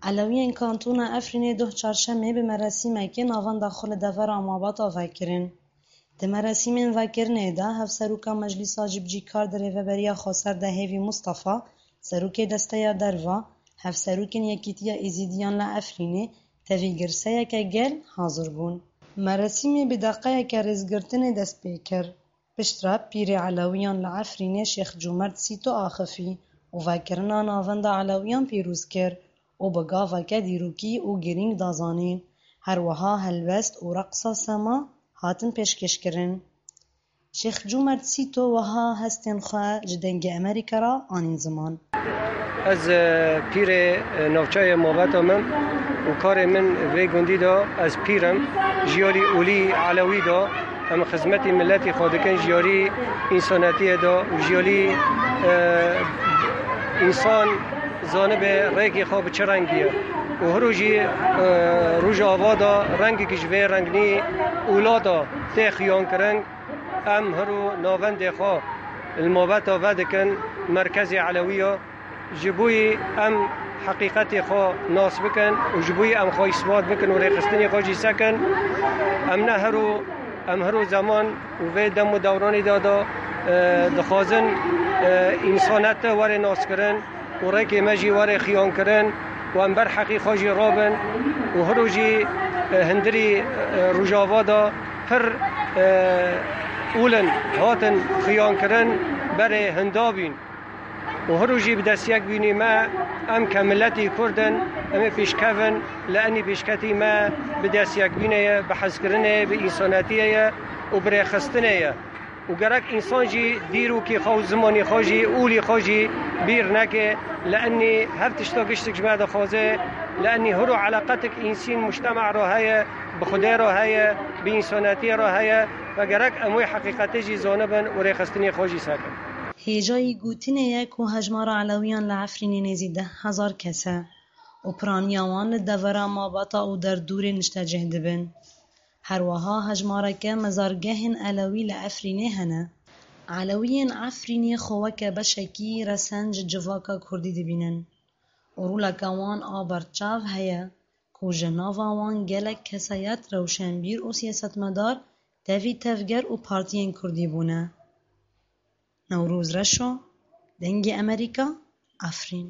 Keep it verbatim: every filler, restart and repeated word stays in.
Elewiyên Kantona Efrînê doh çarşemê bi merasîmekê navenda xwe li devera Mabata vekirin. Di merasîmên vekirinê de Hevseroka Meclîsa Cibcîkar di Rêveberiya Xweser de Hêvî Mustafa, Serokê Desteya Derva, Hevserokên Yekîtiya Êzîdiyan li Efrînê, tevî girseyeke gel hazir bûn. Merasîmê bi deqeyeke rêzgirtinê dest pê kir. Piştre pîrê Elewiyan li Efrînê Şêx Cûmert Sîto axifî û vekirina navenda Elewiyan pîroz kir û bi gaveke dîrokî û girîng da zanîn. Her wiha helbest û reqsa sema hatin pêşkêşkirin. Şêx Cûmert Sîto wiha hestên xwe ji Dengê Amerîka re anîn ziman. Ez, e, pîrê, e, navçeyê Mabeta me û karê min vê gundî de, ez pîr im, jiyarî olî Elewî de, em xizmetî miletî xwe dikin, jiyarî însanetiyê de û jiyarî, e, însan zanibe rêkê xwe bi çi rengî ye. Û hiro jî, e, Rojava de rengekî ji vê rengnî ûla de tê xiyankirin. Em hiro navendê xwe li Mabeta vedikin, merkezê Elewî ye. Ji bo yî em heqîqetê xwe nas bikin û ji bo yî em xwe îsbat bikin û rêxistinê xwe jî sekin. Em ne hiro, em hiro zeman û vê dem û dewranê de, de, e, dixwazin, e, însanete were naskirin û rêkê me jî were xiyankirin û em ber heqî xwe jî rabin û hiro jî, e, hundirî, e, Rojava de pir, e, ûlin hatin xiyankirin berê hinda bîn. Û hiro jî bi destiyekbînî me, em ke miletî Kurd in, em ê pêşkevin, li enî pêşketî me bi destiyekbînê ye, bi hezkirinê ye, bi însanetiyê ye û bi rêxistinê ye. Û gerek însan jî dîrokî xwe û zimanî xwe jî, olî xwe jî bîr neke, li enî her tişta giştik ji me dixwaze, li enî hiro eleqetik însîn mujtema re heye, bi Xwedê re heye, bi însanetiyê re heye ve gerek em wê heqîqetê jî zanibin û rêxistinê xwe jî sekin. Hêjayî gotinê ye ku hejmara Elewiyan li Efrînê nêzî deh hezar kes e û piraniya wan li devera Mabata û derdorê niştecih dibin. Her wiha hejmareke mezargehên Elewî li Efrînê hene. Elewiyên Efrînê xwe weke beşekî resen ji civaka Kurdî dibînin û roleke wan a berçav heye ku ji nava wan gelek kesayet, rewşenbîr û siyasetmedar tevî tevger û partiyên Kurdî bûne. Newroz Reşo, Dengê Amerîka, Efrîn.